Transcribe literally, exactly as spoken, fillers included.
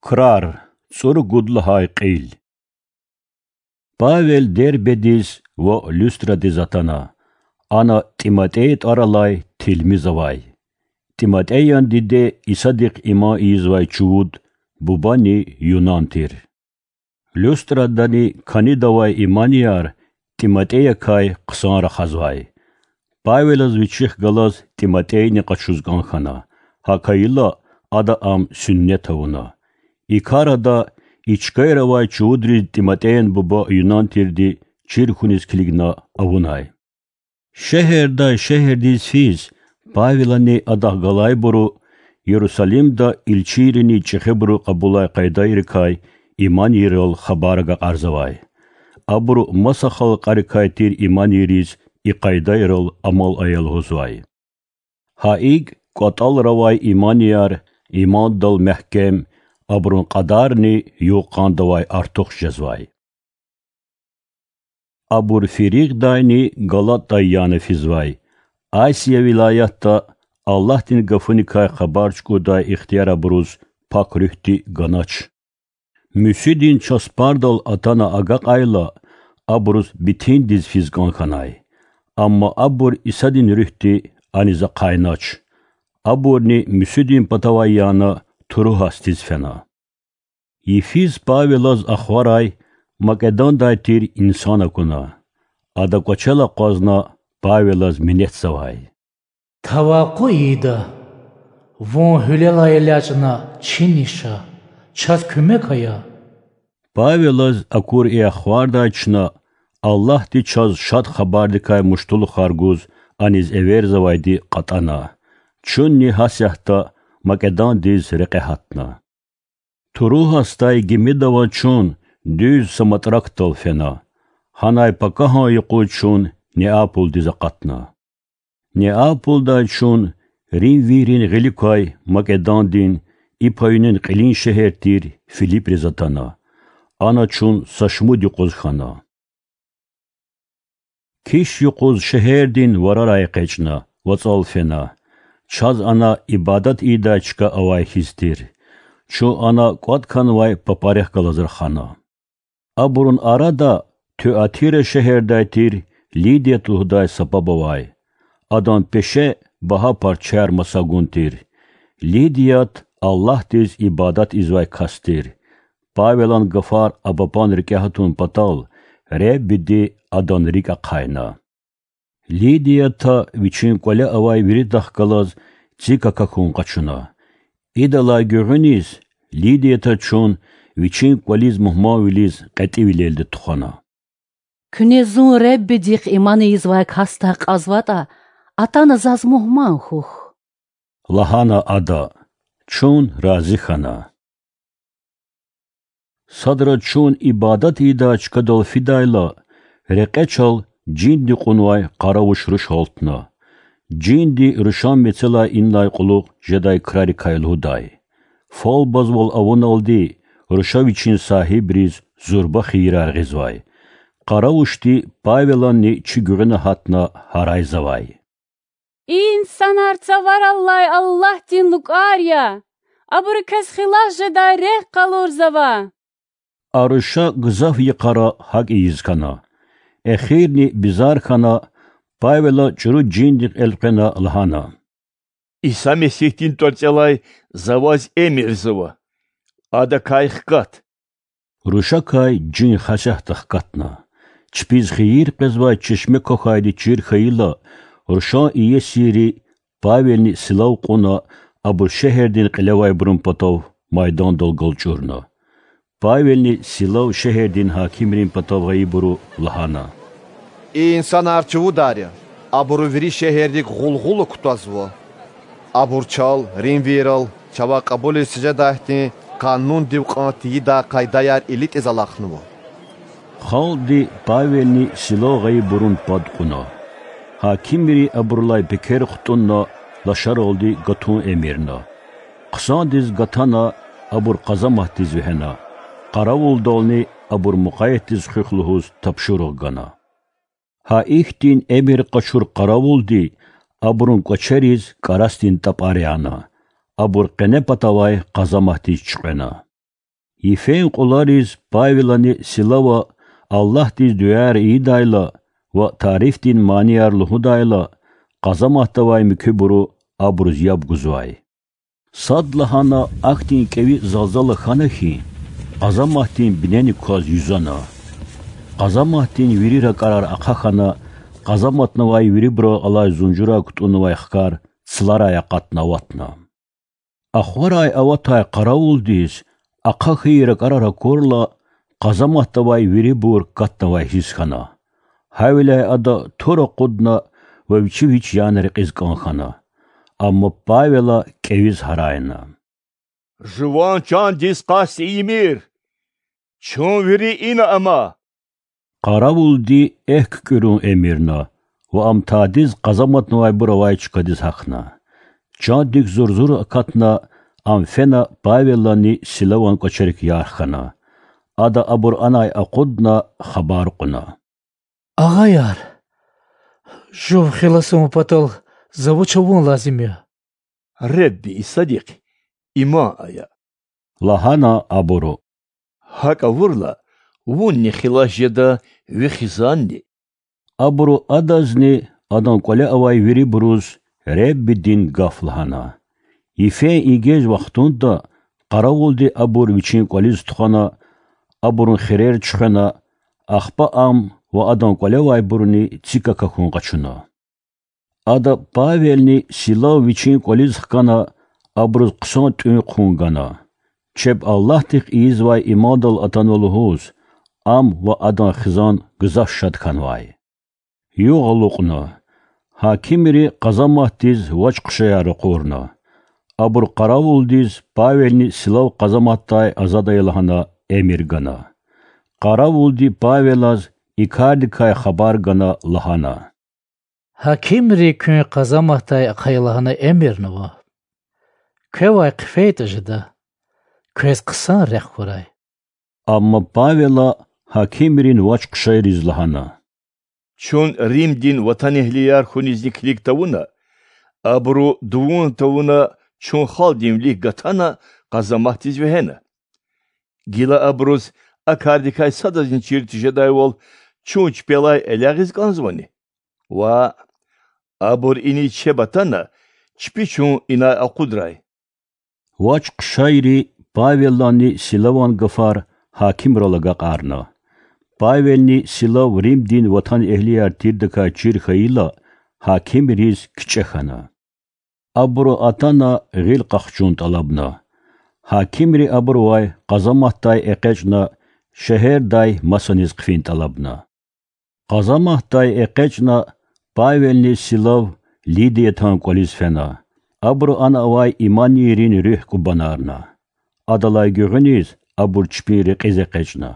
Крар, цӀуругуд лагьай кьил. Павел Дербедиз ва Люстрадиз атана. Ана ТӀиматӀей тӀвар алай тилмиз авай. ТӀиматӀеян диде Исадихъ иман ийизвай чувуд, бубани юнан тир. Люстрадани кӀанидавай иманияр ТӀиматӀеякай хъсан рахазвай. Павелаз вичихъ галаз ТӀиматӀейни къачуз кӀан хьана, гьакӀ хьайила, ада ам суьннет авуна. И кар ада и чкайра авай чувудриз ТӀиматӀеян буба юнан тирди чир хьуниз килигна авунай. Шегьердай шегьердиз физ, Павелани адахъ галайбуру Ярусалимда илчийрини чӀехибуру кьабулай къайдайрикай иманийрал хабар агакьарзавай. Абуру маса халкьарикай тир иманийриз и къайдайрал амал ая лугьузвай. Гьа икӀ кӀватӀалра авай иманияр имандал мягькем, абурун кьадарни югъ-къандавай артух жезвай. Абур Фригдайни Галатдай яна физвай, Асия вилаятда Аллагьдин гафуникай хабар чукӀурдай ихтияр абуруз Пак Руьгьди ганач. Муьсуьдин часпардал атана агакьайла, абуруз Битиндиз физ кӀан хьанай. Амма абур Исадин Руьгьди аниз ахъайнач. Абурни Муьсуьдин патавай яна Труасдиз фена. Йифиз Павелаз ахварай Македандай тир инсан акуна. Ада кӀвачел акъвазна Павелаз минетзавай: Тавакъу ийида, вун гьуьлелай элячӀна чинни ша, чаз куьмек ая. Павелаз акур и ахвардай чна Аллагьди чаз Шад Хабардикай муштулухар гуз аниз эверзавайди кьатӀана. Чунни гьасятда Македандиз рекье гьатна. Труасдай гимида аваз чун дуьз Самотракдал фена. Гьанай пакагьан юкъуз чун Неаполдиз акъатна. Неаполдай чун римвийрин гъилик квай Македандин, и паюнин кьилин шегьер тир Филиприз атана. Ана чун са шумуд юкъуз хьана. Киш юкъуз шегьердин варарай экъечӀна, вацӀал фена. Чаз ана ибадат ийидай чка авай хьиз тир. Чун ана кӀватӀ хьанвай папарихъ галаз рахана. Абурун арада Туатира шегьердай тир Лидият лугьудай са паб авай. Адан пеше багьа парчаяр маса гун тир. Лидият Аллагьдиз ибадат ийизвай кас тир. Павелан гафар а папан рикӀе гьатун патал, Реббиди адан рикӀ ахъайна. Лидията вичин кӀвале авай виридахъ галаз цик акахьун къачуна. Идалай гуьгъуьниз Лидията чун вичин кӀвализ мугьманвилиз кьетӀивилелди тухвана. Куьне зун Реббидихъ иман ийизвай касдай кьазватӀа, атана заз мугьман хьухь,— лагьана ада. Чун рази хьана. Садра чун ибадат ийидай чкадал фидайла, рекье чал жинди кьунвай къаравуш руш гьалтна. Жинди рушан мецелай инлай кьулухъ жедай крарикай лугьудай. Фалбазвал авуналди, руша вичин сагьибриз зурба хийирар гъизвай. Къаравушди Павеланни чи гуьгъуьна гьатна гьарайзавай: И инсанар Цаварал алай Аллагьдин лукӀар я! Абуру квез хилас жедай рехъ къалурзава! А руша гзаф йикъара гьакӀ ийиз хьана. Эхирни бизар хьана, Павела чӀуру жиндихъ элкъвена лагьана: Иса Месигьдин тӀварцӀелай за ваз эмирзава, адакай хкат. Рушакай жин гьасятда хкатна. Чпиз хийир къвезвай чешме квахьайди чир хьайила, рушан иесийри Павелни Силав кьуна, абур шегьердин кьилевайбурун патав майдандал галчӀурна. Павелни Силав шегьердин гьакимрин патав гъайибуру лагьана: И инсанар чувудар я, абуру вири шегьердик гъулгъула кутазва. Абур чал, римвийрал, чавай кьабулиз жедайдин къанундив кьван тийидай къайдаяр илитӀиз алахънава. Халкьди Павелни Силав гъайибурун пад кьуна. Гьакимри абурулай пекер хтӀунна, лашаралди гатун эмирна. Хъсандиз гатана, абур къазаматдиз вегьена. Къаравулдални абур мукъаятдиз хуьх лугьуз тапшуругъ гана. Гьа ихьтин эмир къачур къаравулди абурун кӀвачериз кӀарасдин тӀапӀар яна. Абур къене патавай къазаматдиз чуькьвена. Йифен кьулариз Павелани Силава Аллагьдиз дуьаяр ийидайла ва тарифдин манияр лугьудайла, къазаматда авай муькуьбуру абуруз яб гузвай. Садлагьана ахьтин кӀеви залзала хьана хьи, къазаматдин бинени кваз юзана. Къазаматдин вири ракӀарар ахъа хьана, къазаматнавай вирибурал алай зунжурай кутӀуннавай хкар цларай акъатна аватна. Ахварай аватай къаравулдиз ахъа хьайи ракӀарар акурла, къазаматда авай вирибур катнавай хьиз хьана. Гьавиляй ада тур акъудна ва вичи вич яна рекьиз кӀан хьана. Амма Павела кӀевиз гьарайна: Жуван чандиз къаст ийимир! Чун вири ина ама! Къаравулди экв куькӀуьрун эмирна ва ам тадиз къазаматнавайбур авай чкадиз гьахьна. Чандик зурзур акатна, ам фена Павеланни Силаван кӀвачерик ярх хьана. Ада абур анай акъудна хабар кьуна: Агъаяр, жув хилас авун патал за вуч авун лазим я? Ребби Исадихъ иман ая,— лагьана абуру. ГьакӀ авурла, вунни хилас жеда, ви хизанни. Абуру адазни, адан кӀвале авай вирибуруз Реббидин гаф лагьана. Йифен ингье вахтунда къаравулди абур вичин кӀвализ тухвана, абурун хирер чуьхвена, ахпа ам ва адан кӀвале авайбурни цик акахьун къачуна. Ада Павелни Силав вичин кӀвализ хкана, абуруз хъсан тӀуьн хъун гана, чеб Аллагьдихъ ийизвай имандал атанва лугьуз, ам ва адан хизан гзаф шад хьанвай. Югъ алукьна. Гьакимри къазаматдиз вач-хъушаяр ракъурна. Абуру къаравулдиз Павелни Силав къазаматдай азад ая лагьана эмир гана. Къаравулди Павелаз и кардикай хабар гана лагьана: Гьакимри куьн къазаматдай ахъая лагьана эмирнава. Квевай хъфейтӀа жеда, квез хъсан рехъ хьурай. Амма Павела гьакимрин вач-хъушайриз лагьана: Чун Римдин ватанэгьлияр хьунизни килиг тавуна, абуру дувун тавуна чун халкьдин вилик гатана, къазаматдиз вегьена. Гила абуруз а кардикай садазни чир тежедайвал чун чпелай элягъиз кӀанзавани? Ваъ, абур иниз чеб атана, чпи чун инай акъудрай. Вач-хъушайри Павеланни Силаван гафар гьакимрал агакьарна. Павелни Силав Римдин ватанэгьлияр тирдакай чир хьайила, гьакимриз кичӀе хьана. Абуру атана гъил къахчун тӀалабна. Гьакимри абурувай къазаматдай экъечӀна, шегьердай масаниз хъфин тӀалабна. Къазаматдай экъечӀна, Павелни Силав Лидиятан кӀвализ фена. Абуру ана авай иманийрин руьгь кӀубанарна. Адалай гуьгъуьниз абур чпин рекьиз экъечӀна.